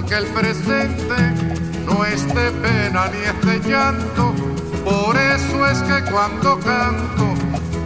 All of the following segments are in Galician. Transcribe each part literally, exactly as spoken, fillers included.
que el presente no es de pena ni es de llanto. Por eso es que cuando canto,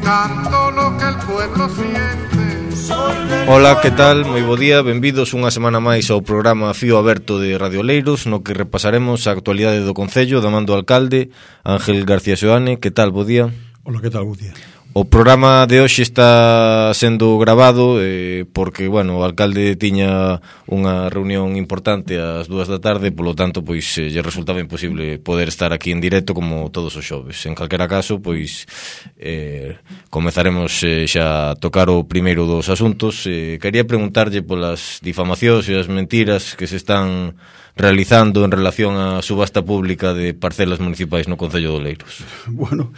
canto lo que el pueblo siente. Ola, que tal? Moi bo día, benvidos unha semana máis ao programa Fío Aberto de Radio Oleiros, no que repasaremos a actualidade do Concello da man do alcalde Ángel García Seoane. Que tal? Bo día. Ola, que tal? Bo día. O programa de hoxe está sendo grabado eh, porque, bueno, o alcalde tiña unha reunión importante ás dúas da tarde, polo tanto, pois, eh, lle resultaba imposible poder estar aquí en directo como todos os xoves. En calquera caso, pois, eh, comezaremos eh, xa a tocar o primeiro dos asuntos. Eh, quería preguntarlle polas difamacións e as mentiras que se están realizando en relación á subasta pública de parcelas municipais no Concello de Oleiros. Bueno...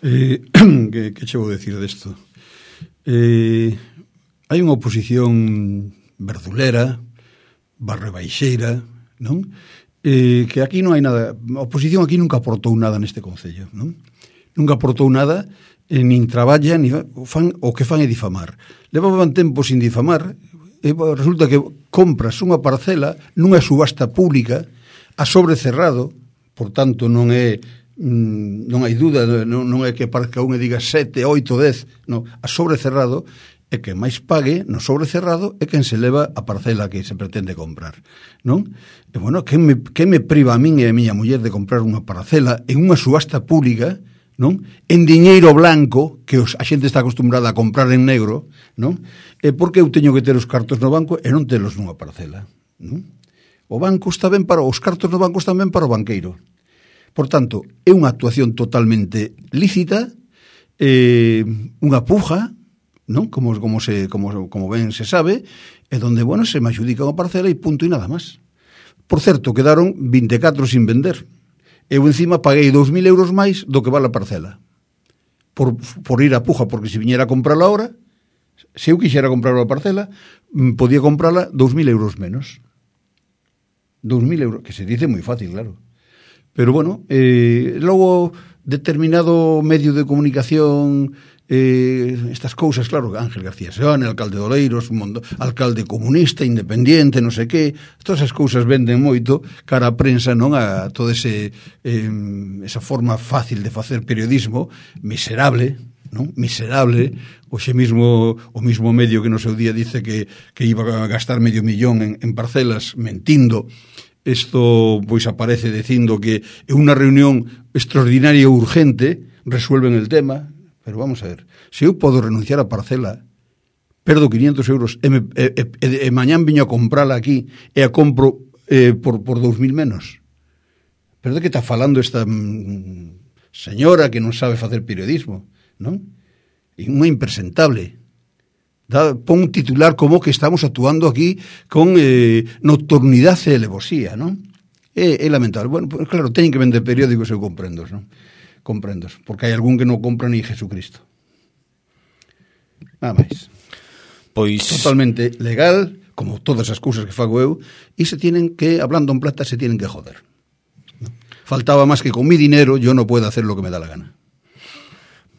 Eh, que, que che vou decir desto? Eh, hai unha oposición verdulera, barrebaixeira, non? Eh, que aquí non hai nada. A oposición aquí nunca aportou nada neste concello, non? Nunca aportou nada, eh, nin traballa, nin fan, o que fan é difamar. Levaban tempo sin difamar, e resulta que compras unha parcela nunha subasta pública a sobrecerrado, por tanto non é... non hai dúda, non, non é que parezca un e diga sete, oito, dez, non, a sobrecerrado é que máis pague no sobrecerrado é quen se leva a parcela que se pretende comprar, non? E bueno, que me, que me priva a min e a miña muller de comprar unha parcela en unha subasta pública, non? En diñeiro blanco, que os, a xente está acostumbrada a comprar en negro, non? E porque eu teño que ter os cartos no banco e non telos nunha parcela, non? O banco está ben para, os cartos no banco están ben para o banqueiro. Por tanto, é unha actuación totalmente lícita, eh, unha puja, non? Como, como, se, como, como ben se sabe, e donde, bueno, se me adjudica unha parcela e punto e nada máis. Por certo, quedaron vinte e catro sin vender. Eu encima paguei dous mil euros máis do que vale a parcela. Por, por ir a puja, porque se viñera a comprarla ahora, se eu quixera comprar a parcela, podía comprarla dous mil euros menos. Dous mil euros, que se dice moi fácil, claro. Pero bueno, eh, logo determinado medio de comunicación, eh, estas cousas, claro, Ángel García Seoane, alcalde de Oleiros, mundo, alcalde comunista, independiente, non sei que, todas esas cousas venden moito cara a prensa, non, a todo ese eh, esa forma fácil de facer periodismo, miserable, non? Miserable, hoxe mismo o mismo medio que no seu día dice que, que iba a gastar medio millón en, en parcelas, mentindo. Isto, pois, aparece dicindo que é unha reunión extraordinaria e urgente, resuelven el tema, pero vamos a ver, se eu podo renunciar a parcela, perdo quinientos euros, e, me, e, e, e mañán viño a comprala aquí, e a compro eh, por, por dous mil menos. Pero de que está falando esta mm, señora que non sabe facer periodismo, non? E unha impresentable. Da, pon un titular como que estamos actuando aquí con eh, nocturnidade e alevosía, non? É, é lamentable. Bueno, pues, claro, teñen que vender periódicos, eu comprendo, non? Comprendo, porque hai algún que non compra ni Jesucristo. Nada máis. Pois... Totalmente legal, como todas as cousas que fago eu, e se tienen que, hablando en plata, se tienen que joder. ¿No? Faltaba máis que con mi dinero yo no puedo hacer lo que me da la gana.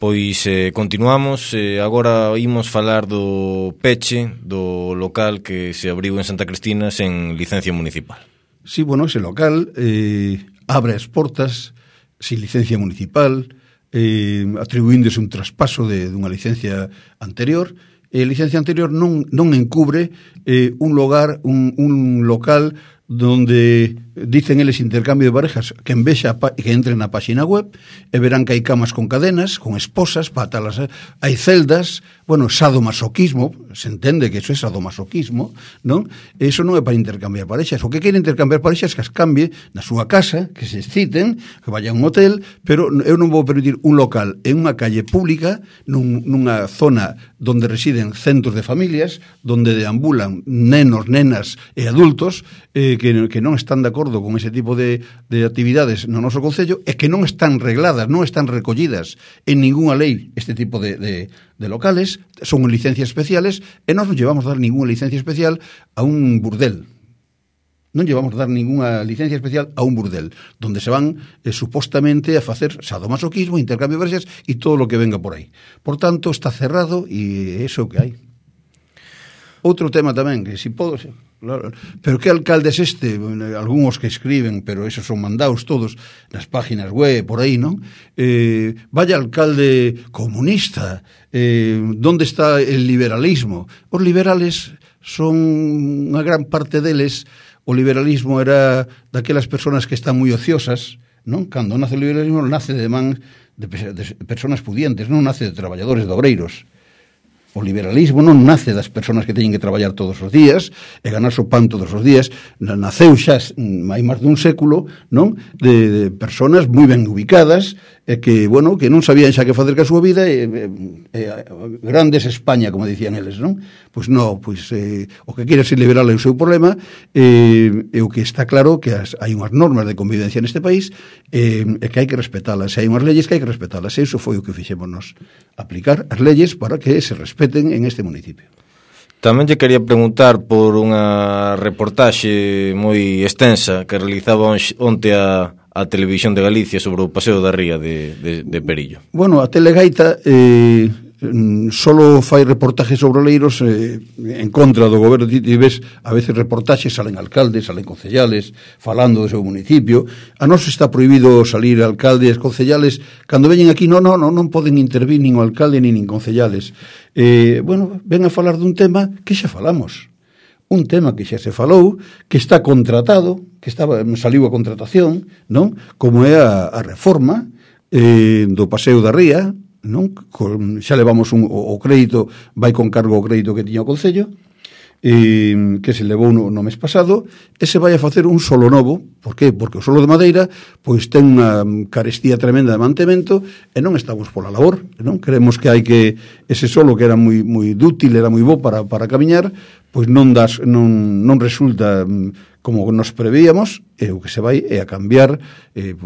Pois eh, continuamos, eh, agora imos falar do peche do local que se abriu en Santa Cristina sen licencia municipal. Sí, bueno, ese local eh, abre as portas sin licencia municipal, eh, atribuíndose un traspaso de, de unha licencia anterior, e a licencia anterior non, non encubre eh, un lugar, un, un local donde dicen eles intercambio de parejas, que en vexa que entren na páxina web e verán que hai camas con cadenas, con esposas, patalas, hai celdas, bueno, sadomasoquismo, se entende que eso é sadomasoquismo, non? Eso non é para intercambiar parexas. O que quere intercambiar parexas que as cambie na súa casa, que se exciten, que vaya a un hotel, pero eu non vou permitir un local en unha calle pública, nun, nunha zona donde residen centos de familias, donde deambulan nenos, nenas e adultos eh, que, que non están de acordo con ese tipo de, de actividades no noso concello e que non están regladas, non están recollidas en ninguna lei este tipo de, de, de locales, son licencias especiales e non nos llevamos a dar ninguna licencia especial a un burdel. Non llevamos a dar ninguna licencia especial a un burdel, donde se van eh, supostamente a facer sadomasoquismo, intercambio de parexas e todo lo que venga por aí. Por tanto, está cerrado e é iso que hai. Outro tema tamén, que si podo... Claro. Pero que alcalde es este? Algúns que escriben, pero esos son mandados todos nas páginas web, por aí, non? Eh, vaya alcalde comunista, eh, donde está el liberalismo? Os liberales son unha gran parte deles, o liberalismo era daquelas persoas que están moi ociosas, non? Cando nace o liberalismo, nace de man de, de persoas pudientes, non nace de traballadores, de obreiros. O liberalismo non nace das persoas que teñen que traballar todos os días e ganar o pan todos os días. Naceu xa hai máis dun século, non? De, de persoas moi ben ubicadas e que, bueno, que non sabían xa que facer ca súa vida e, e, e grandes España, como dicían eles, non? Pois non, pois eh, o que quere ser liberal é o seu problema e, e o que está claro que as, hai unhas normas de convivencia neste país e, e que hai que respetalas, e hai unhas leyes que hai que respetalas, e iso foi o que fixémonos, aplicar as leyes para que se respeten en este municipio. Tamén lle quería preguntar por unha reportaxe moi extensa que realizaba onte a, a Televisión de Galicia sobre o Paseo da Ría de, de, de Perillo. Bueno, a Telegaita eh, solo fai reportajes sobre oleiros eh, en contra do goberno. Ti ves a veces reportaxes, salen alcaldes, salen concellales falando do seu municipio. A nós está prohibido salir alcaldes, concellales. Cando veñen aquí non, non, non poden intervir nin o alcalde nin nin concellales. Eh, bueno, ven a falar dun tema que xa falamos, un tema que xa se falou, que está contratado, que estaba, saliu a contratación, non? Como é a, a reforma eh, do Paseo da Ría, non? Con, xa levamos un, o, o crédito, vai con cargo o crédito que tiña o Concello, eh, que se levou no, no mes pasado, e se vai a facer un solo novo. Por que? Porque o solo de madeira pois ten unha carestía tremenda de mantemento e non estamos pola labor, non? Creemos que hai que ese solo que era moi moi dútil, era moi bo para para camiñar, pois non das non non resulta como nos prevíamos, e o que se vai é a cambiar eh,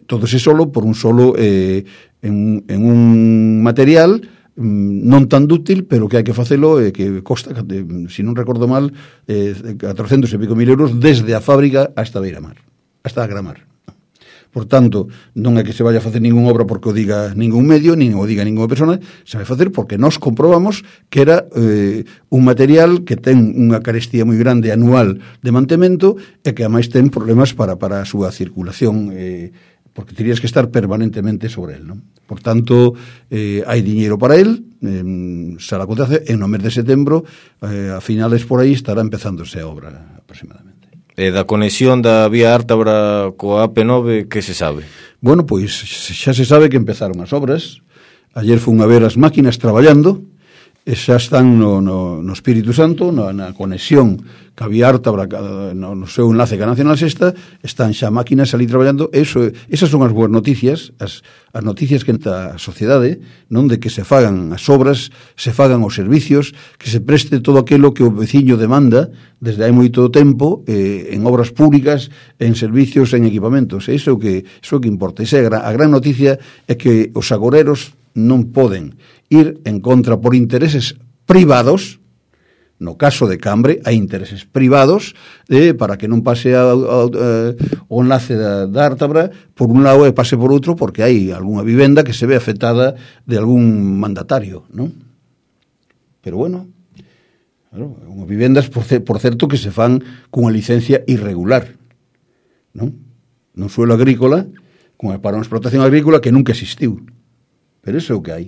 todo ese solo por un solo eh, en, en un material non tan dútil, pero que hai que facelo e que costa, se non recordo mal, eh, catrocentos e pico mil euros desde a fábrica hasta Beiramar, hasta a Gramar. Por tanto, non é que se vaya a facer ningún obra porque o diga ningún medio, nin o diga ninguna persona, se vai a facer porque nós comprobamos que era eh, un material que ten unha carestía moi grande anual de mantemento e que ademais ten problemas para, para a súa circulación, eh, porque terías que estar permanentemente sobre él, non? Por tanto, eh, hai diñeiro para él, eh, se la acontece, en no mes de setembro, eh, a finales por aí estará empezándose a obra aproximadamente. E da conexión da vía Ártabra coa A P nove, que se sabe? Bueno, pois xa se sabe que empezaron as obras. Ayer fun a ver as máquinas traballando, e xa están no, no, no Espírito Santo, na, na conexión que a vía Ártabra no, no seu enlace ca Nacional Sexta, están xa máquinas ali traballando. Eso, esas son as boas noticias, as, as noticias que entra a sociedade, non, de que se fagan as obras, se fagan os servicios, que se preste todo aquilo que o veciño demanda desde hai moito tempo, eh, en obras públicas, en servicios, en equipamentos. Iso é o que, iso é o que importa. Esa é a, a gran noticia, é que os agoreros non poden ir en contra por intereses privados. No caso de Cambre hai intereses privados eh, para que non pase a, a, a, o enlace da, da Ártabra por un lado e pase por outro, porque hai algunha vivenda que se ve afectada de algún mandatario, non? Pero bueno, claro, unhas vivendas por, por certo que se fan cunha licencia irregular, non? Non suelo agrícola, para unha explotación agrícola que nunca existiu. Pero iso é o que hai.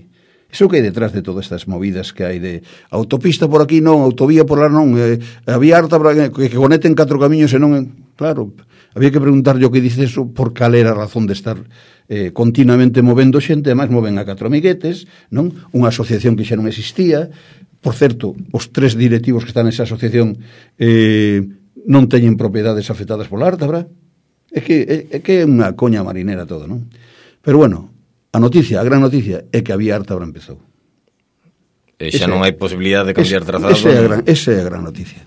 Iso que hai detrás de todas estas movidas que hai de autopista por aquí non, autovía por lá non, eh, había harta que, que conecten catro camiños e non, claro, había que preguntar yo que dice eso por cal era a razón de estar eh, continuamente movendo xente, además moven a catro amiguetes, non? Unha asociación que xa non existía. Por certo, os tres directivos que están nesa asociación eh, non teñen propiedades afectadas pola Ártabra. É que é, é que é unha coña marinera todo, non? Pero bueno, a noticia, a gran noticia é que a vía Ártabra empezou. E xa ese, non hai posibilidade de cambiar ese, trazado. Esa é a gran, esa é a gran noticia.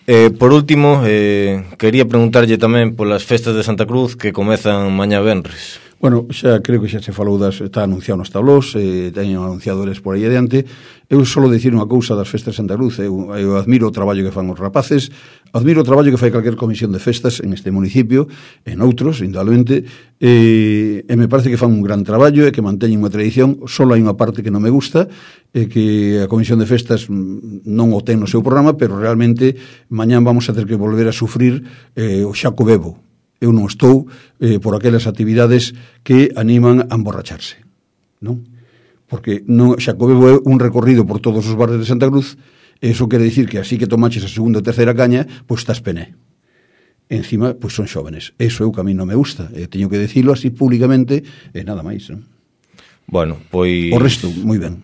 Eh, por último, eh, quería preguntarlle tamén polas festas de Santa Cruz que comezan mañá venres. Bueno, xa creo que xa se falou das, está anunciado nos tablós, eh, teñen anunciadores por aí adiante. Eu solo dicir unha cousa das festas de Santa Cruz. Eu, eu admiro o traballo que fan os rapaces, admiro o traballo que fai calquer comisión de festas en este municipio, en outros, indudablemente, e, e me parece que fan un gran traballo e que manteñen unha tradición. Solo hai unha parte que non me gusta, e que a comisión de festas non o ten no seu programa, pero realmente mañán vamos a ter que volver a sufrir eh, o Xaco Bebo. Eu non estou eh, por aquelas actividades que animan a emborracharse, non? Porque non, Xacobebo é un recorrido por todos os barrios de Santa Cruz, e iso quere dicir que así que tomaches a segunda ou terceira caña, pois estás pené. Encima, pois son xóvenes. Eso é o que a mí non me gusta, e teño que decirlo así públicamente, e nada máis, non? Bueno, pois... O resto, moi ben.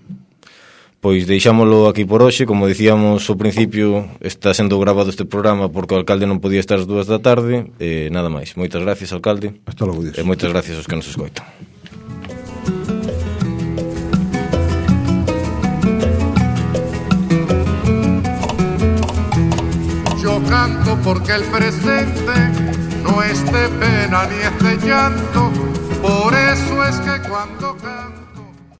Pois deixámolo aquí por hoxe. Como dicíamos ao principio, está sendo grabado este programa porque o alcalde non podía estar as dúas da tarde. E nada máis. Moitas gracias, alcalde. Hasta logo, Dios. E moitas gracias aos que nos escoitan. Yo canto porque el presente no es de pena ni es de llanto. Por eso es que cuando canto